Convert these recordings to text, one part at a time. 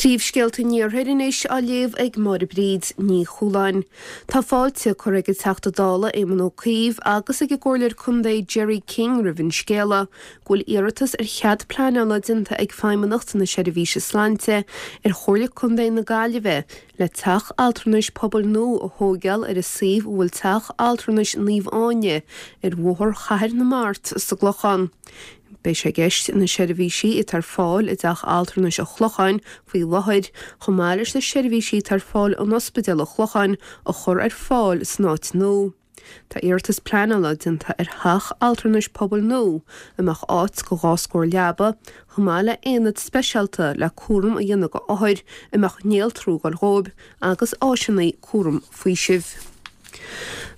Príomhscéalta an Iarthair anois á léamh ag Máire Bríd Ní Chualáin. Tá fáilte curtha ag an Teachta Dála Éamon Ó Cuív agus ag an gComhairleoir Contae Gerry King roimh an scéala go bhfuil iarratas ar chead pleanála déanta ag Feidhmeannacht na Seirbhíse Sláinte ar Chomhairle Contae na Gaillimhe le teach altranais pobail nua a thóigeáil ar an suíomh a bhfuil teach altranais Naomh Áine ar Bhóthar Chathair na Mart sa gClochán. Beidh sé i gceist na seirbhísí atá ar fáil i dTeach Altranais an Chlocháin faoi láthair, chomh maith leis na seirbhísí atá ar fáil in Ospidéal an Chlocháin, a chur ar fáil san áit nua. Tá iarratas pleanála déanta ar theach altranais pobail nua a mbeadh áit go 2 scór leaba, chomh maith le haonad speisialta le cúram a dhéanamh go othair a mbeadh néaltrú ag dul dhóibh agus áiseanna cúram faoisimh.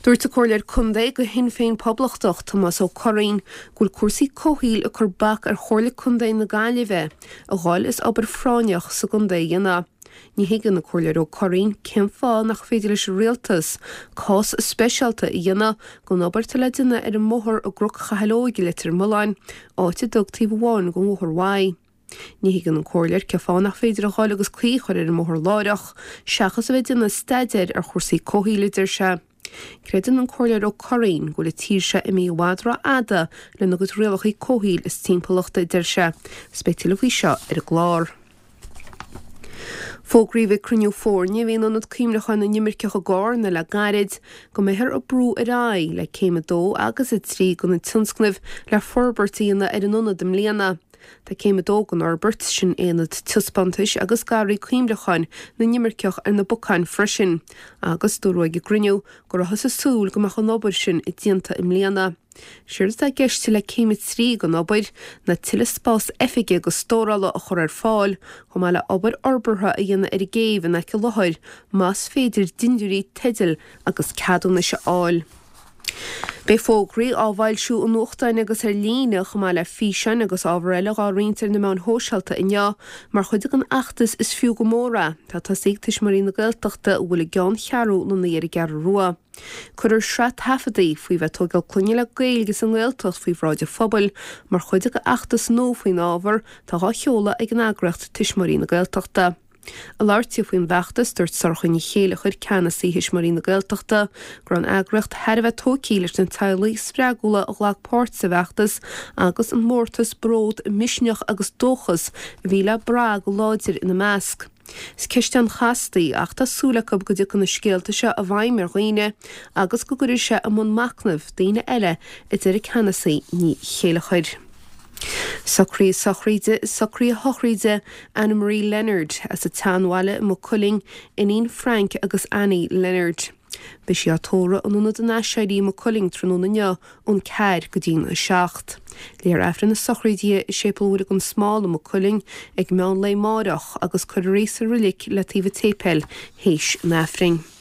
Dúirt an Comhairleoir Contae go Shinn Féin Poblachtach, Tomás Ó Curraoin, go bhfuil cúrsaí comhshaoil ag cur bac ar Chomhairle Contae na Gaillimhe a dhul is obair phráinneach sa gcontae a dhéanamh. Ní thuigeann an Comhairleoir Ó Curraoin cén fáth nach féidir leis an Rialtas cás speisialta a dhéanamh gon obair atá le déanamh ar an mbóthar i gCnoc Chathail Óig i Leitir Mealláin, áit a dtug taobh amháin gon bhóthar uaidh. Ní thuigeann an Comhairleoir cén fáth nach féidir a dhul agus caoi a chur ar an mbóthar láithreach, seachas a bheith ag déanamh staidéir ar chúrsaí comhshaoil, a deir sé. Creideann an Comhairleoir Ó Curraoin go bhfuil an tír seo imithe i bhfad ró-fhada lena gcuid rialacha comhshaoil is timpeallachta, a deir sé. 'S beidh tuilleadh faoi seo ar an gclár. Fógraíodh ag cruinniú foirne a bhí in Ionad Cuimhneacháin na nImirceach i gCarna le gairid go mbeifear ag brú ar aghaidh le céim 2 agus 3 de na tionscnaimh le forbairt a dhéanamh ar an ionad i mbliana. Tá céim 2 den fhorbairt, sin aonad taispeántais agus garraí cuimhneacháin na n-imirceach ar na bacáin freisin, agus dúradh ag an gcruinniú go rabhthas ag súil go mbeadh an obair sin déanta i mbliana. Séard atá i gceist le céim 3 den obair ná tuilleadh spás oifige agus stórála a chur ar fáil, chomh maith le obair fhorbartha a dhéanamh ar an gcéibh in aice láthair, más féidir dindiúirí teidil agus ceadúnais a fháil. Beidh fógraí á bhfoilsiú i nuachtáin agus ar líne, chomh maith le físeáin agus ábhar eile dhá roinnt ar na meáin shóisialta inniu, mar chuid den fheachtas Is Fiú Go Mór É, atá tosaithe ag Tuismitheoirí na Gaeltachta a bhfuil i gceanncheathrú lonnaithe ar an gCeathrú Rua. Cuirfear sraith taifeadtaí faoi bheith ag tógáil clainne le Gaeilge sa nGaeltacht faoi bhráid an phobail mar chuid de fheachtas nua faoin ábhar atá dhá sheoladh ag an eagraíocht Tuismitheoirí na Gaeltachta. Ag labhairt di faoin bhfeachtas, dúirt Sorcha Ní Chéileachair, Ceannasaí Thuismitheoirí na Gaeltachta, go raibh an eagraíocht thar a bheith tógtha leis na teaghlaigh spreagúla a ghlac páirt sa bhfeachtas agus an mórtas, bród, misneach agus dóchas a bhí le brath go láidir ina measc. Is ceist an-chasta í ach tá súil acu go dtiocfaidh na scéalta seo i bhfeidhm ar dhaoine agus go gcuirfidh sé i mbun machnaimh daoine eile, a deir an Ceannasaí Ní Chéileachair. Socruithe sochraide Socruithe sochraide Anna Marie Leonard as an tSeanbhaile i Maigh Cuilinn, iníon Frank agus Annie Leonard. Beidh sí á tórramh in Ionad an Aiséirí i Maigh Cuilinn tráthnóna inniu ón 4 go dtí'n 7. Léifear Aifreann na sochraide i Séipéal Mhuire gan Smál i Maigh Cuilinn ag meán lae amáireach agus cuirfear í sa roilig le taobh an tséipéil théis an Aifrinn.